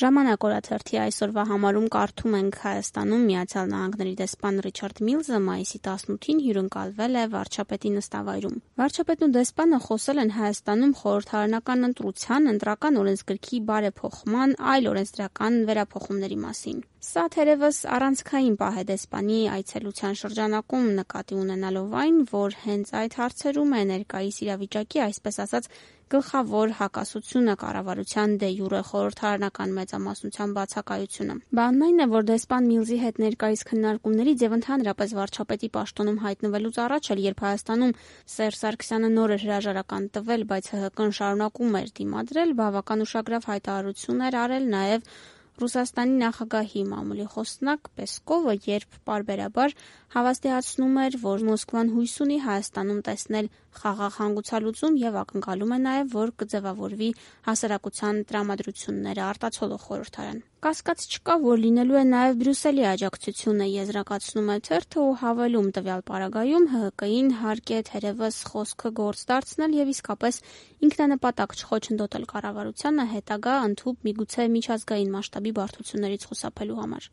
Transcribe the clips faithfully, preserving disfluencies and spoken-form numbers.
Ժամանակ օրաթերթի այսօրվա համարում կարդում ենք Հայաստանում Միացյալ Նահանգների դեսպան Ռիչարդ Միլզը մայիսի տասնութին հյուրընկալվել է վարչապետի նստավայրում։ Վարչապետն ու դեսպանը խոսել են Հայաստանում խորհրդարանական ընտրության, ընտրական օրենսգրքի բարեփոխման, այլ օրենսդրական վերափոխումների մասին։ Սա թերևս առանցքային պահ է դեսպանի այցելության շրջանակում, նկատի ունենալով այն, որ հենց այդ հարցերում է ներկայիս իրավիճակի, այսպես ասած, գլխավոր հակասությունը կառավարության դե յուրե խորհրդարանական մեծամասնության բացակայությունը։ Բանն այն է, որ դեսպան Միլզի հետ ներկայիս քննարկումներից եւ ընդհանրապես վարչապետի պաշտոնում հայտնվելուց առաջ էլ, երբ Հայաստանում Սերժ Սարգսյանը նոր էր հրաժարական տվել, բայց ՀՀԿ-ն շարունակում էր դիմադրել, բավական ուշագրավ հայտարարություն էր արել նաեւ Ռուսաստանի նախագահի մամուլի խոսնակ Պեսկովը, երբ պարբերաբար հավաստիացնում էր, որ Մոսկվան հույս ունի Հայաստանում տեսնել խաղաղ հանգուցալուծում եւ ակնկալում է նաեւ, որ կձևավորվի հասարակության տրամադրությունները արտացոլող խորհրդարան։ Կասկած չկա, որ լինելու է նաեւ Բրյուսելի աջակցությունը, եզրակացնում է թերթը ու հավելում տվյալ պարագայում ՀՀԿ-ին հարկ է թերևս խոսքը գործ դարձնել եւ իսկապես ինքնանպատակ չխոչընդոտել կառավարությանը հետագա ընդհուպ միգուցե միջազգային մասշտաբի բարդություններից խուսափելու համար։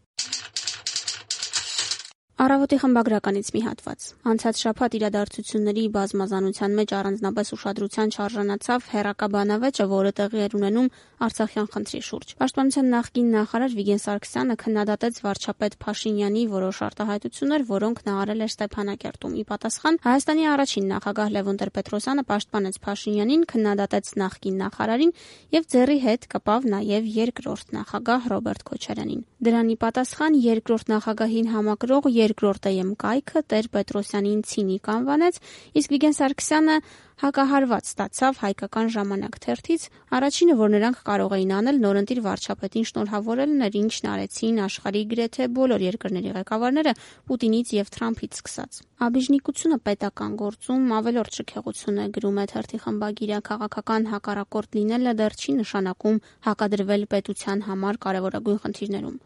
Առավոտի խմբագրականից մի հատված։ Անցած շաբաթ իրադարձությունների բազմազանության մեջ առանձնապես ուշադրության չարժանացավ հեռակաբանավեճը, որը տեղի էր ունենում Արցախյան խնդրի շուրջ։ Պաշտպանության նախկին նախարար Վիգեն Սարգսյանը քննադատեց վարչապետ Փաշինյանի որոշ արտահայտություններ, որոնք նա արել էր Ստեփանակերտում։ Ի պատասխան Հայաստանի առաջին նախագահ Լևոն Տեր-Պետրոսյանը պաշտպանեց Փաշինյանին, քննադատեց նախկին նախարարին եւ ձեռի հետ կպավ նաեւ երկրորդ նախագահ Ռոբերտ Քոչարյանին։ Դրան ի պատասխան երկրորդ նախագահին համակրող երկրորդ էմ կայքը Տեր-Պետրոսյանին ցինիկ անվանեց, իսկ Վիգեն Սարգսյանը հակահարված ստացավ Հայկական ժամանակ թերթից, առաջինը, որ նրանք կարող էին անել, նորընտիր վարչապետին շնորհավորելն էր, ինչն արեցին աշխարհի գրեթե բոլոր երկրների ղեկավարները Պուտինից եւ Թրամփից սկսած։ Աբիժնիկությունը պետական գործում ավելորդ շքեղություն է, գրում է թերթի խմբագիրը, քաղաքական հակառակորդ լինելը դեռ չի նշանակում հակադրվել պետության համար կարևորագույն խնդիրներում։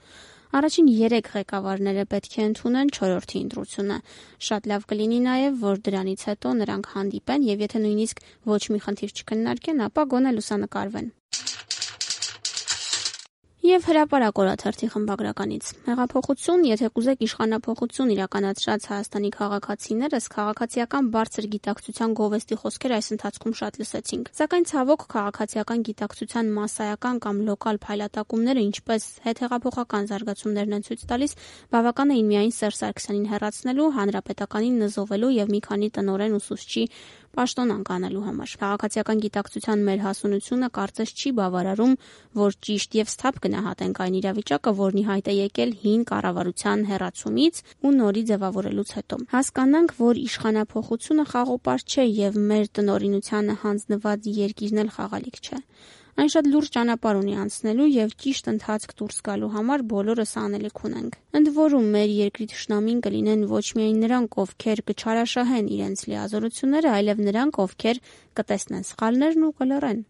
Առաջին երեք ղեկավարները պետք է ընդունեն չորրորդի ընտրությունը։ Շատ լավ կլինի նաև, որ դրանից հետո նրանք հանդիպեն եւ եթե նույնիսկ ոչ մի խնդիր չքննարկեն, ապա գոնե լուսանկարվեն։ Եվ հրապարակ օրաթերթի խմբագրականից։ Հեղափոխություն, եթե կուզեք իշխանափոխություն իրականացրած Հայաստանի քաղաքացիներս քաղաքացիական բարձր գիտակցության գովեստի խոսքեր այս ընթացքում շատ լսեցինք։ Սակայն ցավոք քաղաքացիական գիտակցության մասսայական կամ լոկալ փայլատակումները, ինչպես հետհեղափոխական զարգացումներն են ցույց տալիս, բավական էին միայն Սերժ Սարգսյանին հեռացնելու, հանրապետականին նզովելու եւ մի քանի տնօրեն ուսուցչի պաշտոնանկ անելու համար։ Քաղաքացիական գիտակցության մեր հասունությունը կարծես չի բավարարում, որ ճիշտ եւ սթափ գնահատենք այն իրավիճակը, որն ի հայտ է եկել հին կառավարության հեռացումից ու նորի ձևավորելուց հետո։ Հասկանանք, որ իշխանափոխությունը խաղոպար չէ եւ մեր տնօրինությանը հանձնված երկիրն էլ խաղալիք չէ։ Այն շատ լուրջ ճանապարհ ունի անցնելու եւ ճիշտ ընթացք դուրս գալու համար բոլորս անելիք ունենք։ Ընդ որում մեր երկրի թշնամին կլինեն ոչ միայն նրանք, ովքեր կչարաշահեն իրենց լիազորությունները, այլև նրանք, ովքեր կտեսնեն սխալներն ու կլռեն։